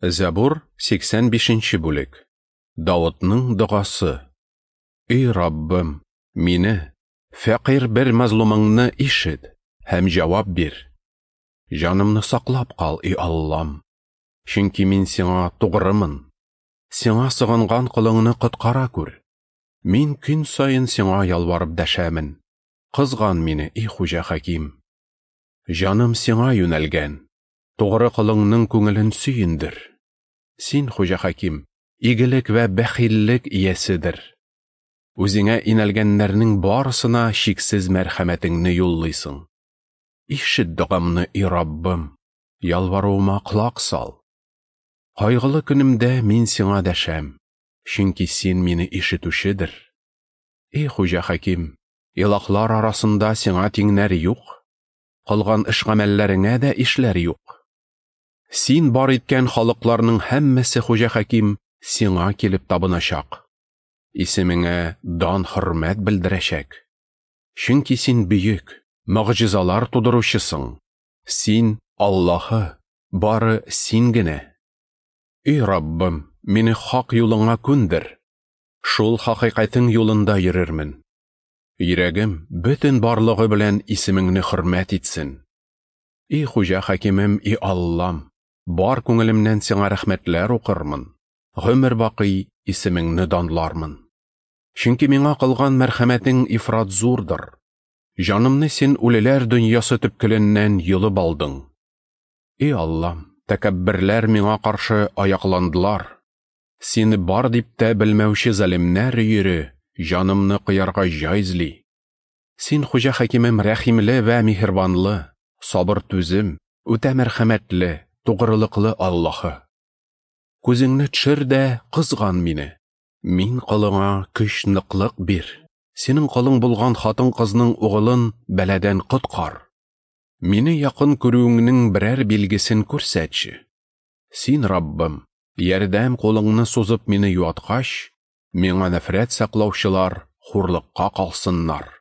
Зәбур, 85 бүлек. Давытның догасы. Эй Раббым, мине, фәкыйрь бер мазлумыңны ишет һәм җавап бир. Җанымны саклап кал, и Аллам, чөнки мин сиңа тугрымын. Сиңа сыгынган колыңны коткара күр. Мин көн саен сиңа ялварып дәшәмен. Кызган мине, и Хуҗа Хаким. Җаным сиңа юнәлгән. Тугры колыңның күңелен сөендер. Син, Хуҗа Хаким, игелек вә бәхиллек ияседер. Үзеңә инәлгәннәрнең барысына чиксез мәрхәмәтеңне юллыйсың. Ишет догамны, и Раббым, ялваруыма колак сал. Кайгылы көнемдә мин сиңа дәшәм, чөнки син мине ишетүчедер. И Хуҗа Хаким, илаһлар арасында сиңа тиңнәр юк, кылган эш-гамәлләреңә дә ишләр юк. Син бар иткән халыкларның һәммәсе, Хуҗа Хаким, сиңа килеп табыначак. Исемеңә дан-хөрмәт белдерәчәк. Чөнки син бөек, могҗизалар тудыручысың. Син Аллаһы, бары син генә. Эй Раббым, мине хак юлыңа күндер. Шул хакыйкатең юлында йөрермен. Йөрәгем бөтен барлыгы белән исемеңне хөрмәт итсен. И Хуҗа Хакимем, и Аллам, бар күңелемнән сиңа рәхмәтләр укырмын. Гомер бакый исемеңне данлармын. Чөнки миңа кылган мәрхәмәтең ифрат зурдыр. Җанымны син үлеләр дөньясы төпкеленнән йолып алдың. И Аллам, тәкәбберләр миңа каршы аякландылар. Сине бар дип тә белмәүче залимнәр өере җанымны кыярга җай эзли. Син, Хуҗа Хакимем, рәхимле вә миһербанлы, сабыр түзем, үтә мәрхәмәтле, тугрылыклы Аллаһы. Күзеңне төшер дә кызган мине. Мин колыңа көч ныклык бир. Синең колың булган хатын-кызның угылын бәладән коткар. Мине якын күрүеңнең берәр билгесен күрсәтче. Син, Раббым, ярдәм кулыңны сузып мине юаткач, миңа нәфрәт саклаучылар хурлыкка калсыннар.